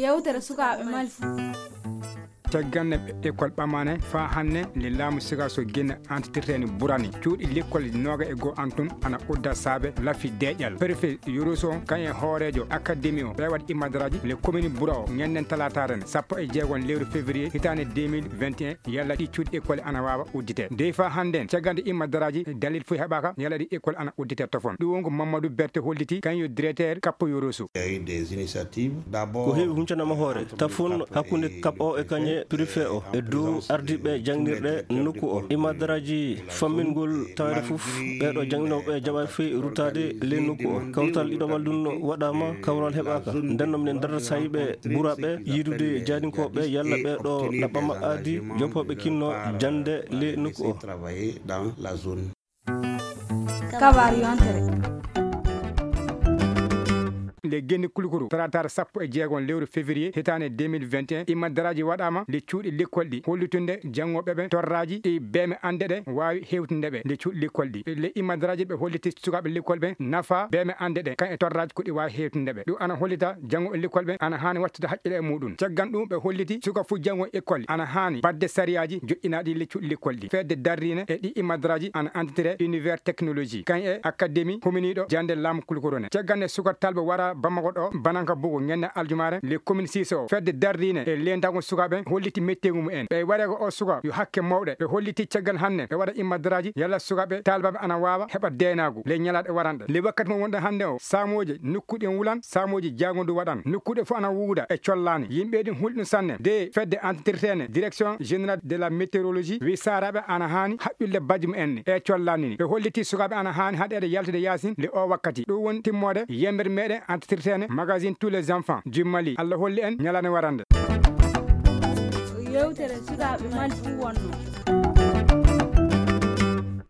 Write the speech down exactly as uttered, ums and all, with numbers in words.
Yewtere sukaaɓe Mali. Caggal nde école ɓamane faa hannde, le laamu siga so gine antitirteeni burani. Cuuɗi lekkol nooga e goo antun ana udda saabe lafi deeƴal. Préfet Yoroso kan e hooreejo académie o ɓe waɗi immadaraaji le commune bura o ñannden talaataaren sappo e jeegon lewru février hitaande deux mille vingt et un. Yalla ɗi cuuɗi école ana waawa uddite. Dey faa hannden, caggal nde immadaraaji dalil foy heɓaaka, yalla ɗi école ana uddite tofon. Ɗum wonko Mamadou Berté holliti, kan yo directeur Kappo Yoroso. Il y a eu des initiatives. Ko heewi huncanama hoore tafon hakkunde kap o e kañe prife o e dow ardiiɓe jangnirɗe nokku o. Imadaraaji fammingol tawede fof ɓeeɗo janginooɓe jaɓaani fof ruttaade ley nokku o. Kawtal ɗiɗo wallunno waɗaama, kawral heɓaaka. Nden noon minen darata sahiiɓe ɓuraaɓe yiidude jaadinkooɓe yalla ɓeeɗo ɗaɓɓama aadi joppooɓe kinno jannde ley nokku o. Travailler dans la zone. Kabaar yontere. Le Genni Kulukuru, talaataare sappo e jeegon lewru février hitaande deux mille vingt et un, immadaraaji waɗaama le cuuɗi lekkol ɗi, hollitunde janngooɓe ɓe torraaji e beeme annde ɗe waawi hewtinde ɓe le cuuɗi lekkol ɗi. Le immadaraaji ɓe holliti sukaaɓe lekkol ɓe nafa beeme annde ɗe, kan e torraaji ko ɗi waawi hewtinde ɓe. Ɗum ana hollita janngooɓe lekkol ɓe ana haani wattude haqqille e muɗum. Caggal ɗum ɓe holliti suka fof janngo école ana haani baɗde sariyaaji joɗɗinaaɗi le cuuɗi lekkol ɗi. Fedde darriine e ɗi immadaraaji ana antitire univers technologie, kan e académie huminiiɗo jannde laamu Kulukuru ne. Caggal nde suka talba wara Bamako ɗo, bananka bugo ñande aljumaare, le commune six o. Fedde darriine e leendago sukaaɓe holliti metteegu mumen. Ɓe wareego o suka yo hakke mawɗe. Ɓe holliti caggal hannde ɓe waɗa immadaraaji yalla sukaaɓe taalibaaɓe ana waawa heɓa deenaagu le ñalaaɗe waranɗe. Le wakkati mo wonɗen hannde o, saamooje nokkuuɗe en wulan, saamooje jaagondu waɗan. Nokkuuɗe fof ana wuuda e collaani. Yimɓe ɗin hulɗum sanne. De fedde antitirteene, direction générale de la météorologie, wi saaraaɓe ana haani haƴƴude bajji mumen e collaani ni. Ɓe holliti sukaaɓe ana haani haɗeede yaltude yaasin le o wakkati. Ɗum woni timmoode yemmbere meɗen antitirteene magazine tous les enfants du Mali. Allah holli en ñalaande warande. Yewtere sukaaɓe Mali fof wonno.